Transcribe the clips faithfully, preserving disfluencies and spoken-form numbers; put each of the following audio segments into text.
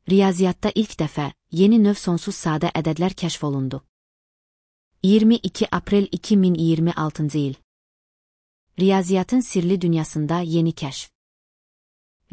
Riyaziyyatda ilk dəfə yeni növ sonsuz sadə ədədlər kəşf olundu. iyirmi iki aprel iki min iyirmi altıncı il. Riyaziyyatın sirli dünyasında yeni kəşf.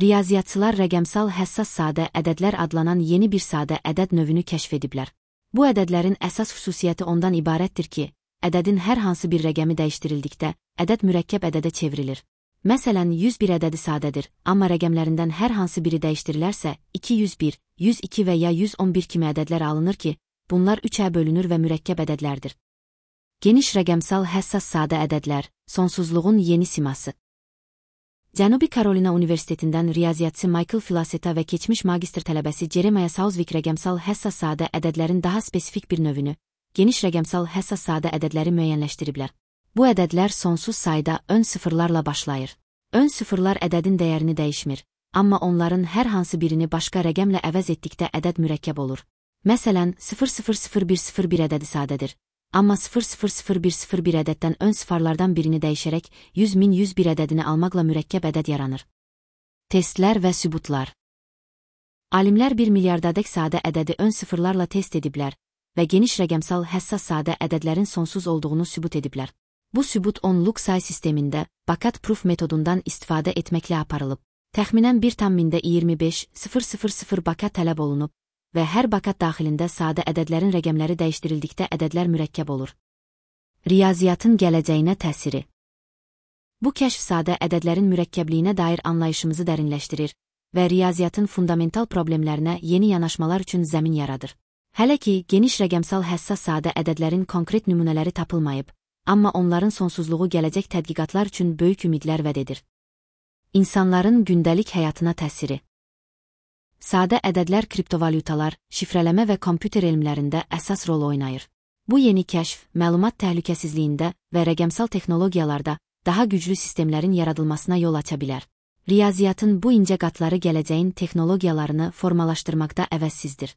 Riyaziyyatçılar rəqəmsal həssas sadə ədədlər adlanan yeni bir sadə ədəd növünü kəşf ediblər. Bu ədədlərin əsas xüsusiyyəti ondan ibarətdir ki, ədədin hər hansı bir rəqəmi dəyişdirildikdə, ədəd mürəkkəb ədədə çevrilir. Məsələn, yüz bir ədədi sadədir, amma rəqəmlərindən hər hansı biri dəyişdirilərsə, iki yüz bir, yüz iki və ya yüz on bir kimi ədədlər alınır ki, bunlar üçə bölünür və mürəkkəb ədədlərdir. Geniş rəqəmsal həssas sadə ədədlər, sonsuzluğun yeni siması. Cənubi Karolina Universitetindən riyaziyyatçı Michael Filaseta və keçmiş magistr tələbəsi Jeremiah Sauzvik rəqəmsal həssas sadə ədədlərin daha spesifik bir növünü, geniş rəqəmsal həssas sadə ədədləri müəyyənləşdiriblər. Bu ədədlər sonsuz sayda ön sıfırlarla başlayır. Ön sıfırlar ədədin dəyərini dəyişmir, amma onların hər hansı birini başqa rəqəmlə əvəz etdikdə ədəd mürəkkəb olur. Məsələn, sıfır sıfır sıfır bir sıfır bir ədədi sadədir, amma sıfır sıfır sıfır bir sıfır bir ədəddən ön sıfırlardan birini dəyişərək yüz min yüz bir ədədini almaqla mürəkkəb ədəd yaranır. Testlər və sübutlar. Alimlər bir milyardadək sadə ədədi ön sıfırlarla test ediblər və geniş rəqəmsal həssas sadə ədədlərin sonsuz olduğunu sübut ediblər. Bu sübut onluq say sistemində Bakat proof metodundan istifadə etməklə aparılıb. Təxminən bir tam mində iyirmi beş min bakat tələb olunub və hər bakat daxilində sadə ədədlərin rəqəmləri dəyişdirildikdə ədədlər mürəkkəb olur. Riyaziyyatın gələcəyinə təsiri. Bu kəşf sadə ədədlərin mürəkkəbliyinə dair anlayışımızı dərinləşdirir və riyaziyyatın fundamental problemlərinə yeni yanaşmalar üçün zəmin yaradır. Hələ ki, geniş rəqəmsal həssas sadə ədədlərin konkret nümunələri tapılmayıb, amma onların sonsuzluğu gələcək tədqiqatlar üçün böyük ümidlər vəd edir. İnsanların gündəlik həyatına təsiri. Sadə ədədlər kriptovalyutalar, şifrələmə və kompüter elmlərində əsas rol oynayır. Bu yeni kəşf, məlumat təhlükəsizliyində və rəqəmsal texnologiyalarda daha güclü sistemlərin yaradılmasına yol aça bilər. Riyaziyyatın bu incə qatları gələcəyin texnologiyalarını formalaşdırmaqda əvəzsizdir.